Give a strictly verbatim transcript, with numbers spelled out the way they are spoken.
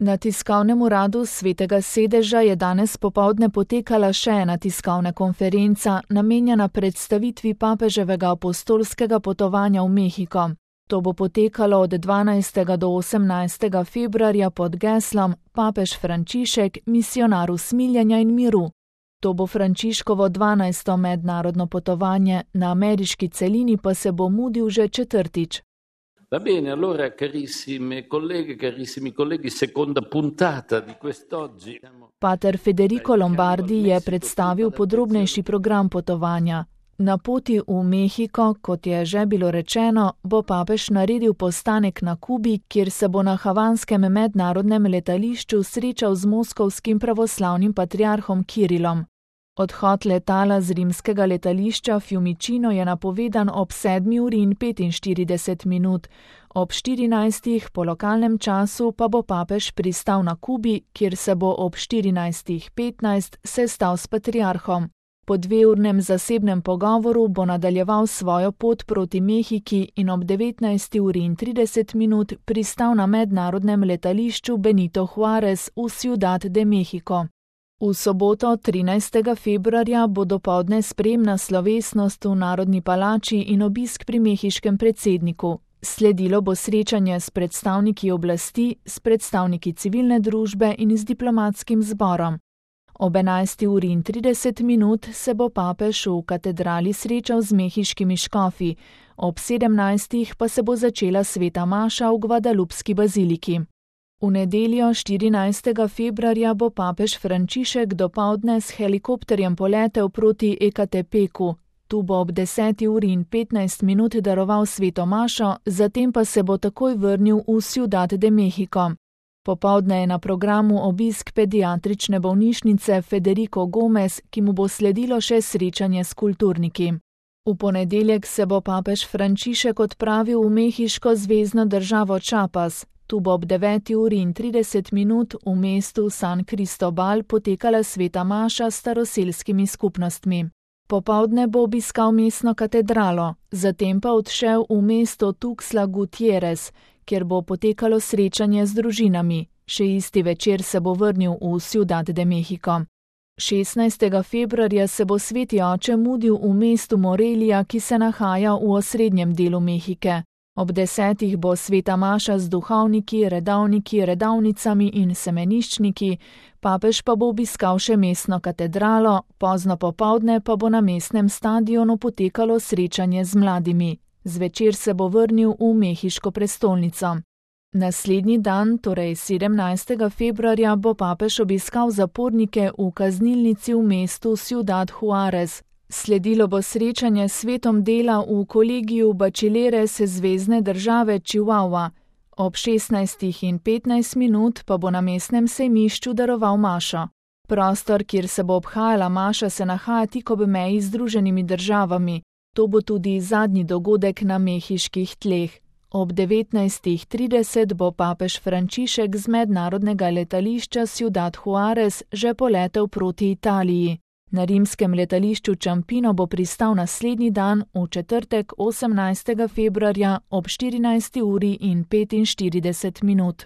Na tiskovnem uradu Svetega sedeža je danes popoldne potekala še ena tiskovna konferenca, namenjena predstavitvi papeževega apostolskega potovanja v Mehiko. To bo potekalo od dvanajstega do osemnajstega februarja pod geslom Papež Frančišek, misijonar usmiljenja in miru. To bo Frančiškovo dvanajsto mednarodno potovanje, na ameriški celini pa se bo mudil že četrtič. Va bene, allora carissime colleghe, carissimi colleghi, seconda puntata di quest'oggi. Pater Federico Lombardi je predstavil podrobnejši program potovanja. Na poti v Mehiko, kot je že bilo rečeno, bo papež naredil postanek na Kubi, kjer se bo na havanskem mednarodnem letališču srečal z moskovskim pravoslavnim patriarhom Kirilom. Odhod letala z rimskega letališča Fiumicino je napovedan ob sedmi uri in petinštirideset minut, ob štirinajstih po lokalnem času pa bo papež pristal na Kubi, kjer se bo ob štirinajstih petnajst sestal s patriarhom. Po dveurnem zasebnem pogovoru bo nadaljeval svojo pot proti Mehiki in ob devetnajsti uri in trideset minut pristal na mednarodnem letališču Benito Juárez v Ciudad de México. V soboto trinajstega februarja bo dopoldne spremna slovesnost v Narodni palači in obisk pri mehiškem predsedniku. Sledilo bo srečanje s predstavniki oblasti, s predstavniki civilne družbe in z diplomatskim zborom. Ob enajsti uri in trideset minut se bo papež v katedrali srečal z mehiškimi škofi, ob sedemnajstih pa se bo začela sveta maša v Guadalupski baziliki. V nedeljo štirinajstega februarja bo papež Frančišek dopoldne s helikopterjem poletel proti Ekatepeku. Tu bo ob deseti uri in petnajst minut daroval sveto mašo, zatem pa se bo takoj vrnil v Ciudad de México. Popoldne je na programu obisk pediatrične bolnišnice Federico Gomez, ki mu bo sledilo še srečanje s kulturniki. V ponedeljek se bo papež Frančišek odpravil v mehiško zvezno državo Chiapas. Tu bo ob deveti uri in trideset minut v mestu San Cristobal potekala sveta maša s staroselskimi skupnostmi. Popoldne bo obiskal mestno katedralo, zatem pa odšel v mesto Tuxtla Gutiérrez, kjer bo potekalo srečanje z družinami. Še isti večer se bo vrnil v Ciudad de México. šestnajstega februarja se bo sveti oče mudil v mestu Morelia, ki se nahaja v osrednjem delu Mehike. Ob desetih bo sveta maša z duhovniki, redovniki, redovnicami in semeniščniki, papež pa bo obiskal še mestno katedralo, pozno popoldne pa bo na mestnem stadionu potekalo srečanje z mladimi. Zvečer se bo vrnil v mehiško prestolnico. Naslednji dan, torej sedemnajstega februarja, bo papež obiskal zapornike v kaznilnici v mestu Ciudad Juárez. Sledilo bo srečanje s svetom dela v kolegiju Bachilleres zvezne države Chihuahua. Ob šestnajstih in petnajst minut pa bo na mestnem sejmišču daroval mašo. Prostor, kjer se bo obhajala maša, se nahaja tik ob meji z Združenimi državami. To bo tudi zadnji dogodek na mehiških tleh. Ob devetnajstih trideset bo papež Frančišek z mednarodnega letališča Ciudad Juárez že poletel proti Italiji. Na rimskem letališču Ciampino bo pristal naslednji dan, v četrtek osemnajstega februarja ob štirinajsti uri in petinštirideset minut.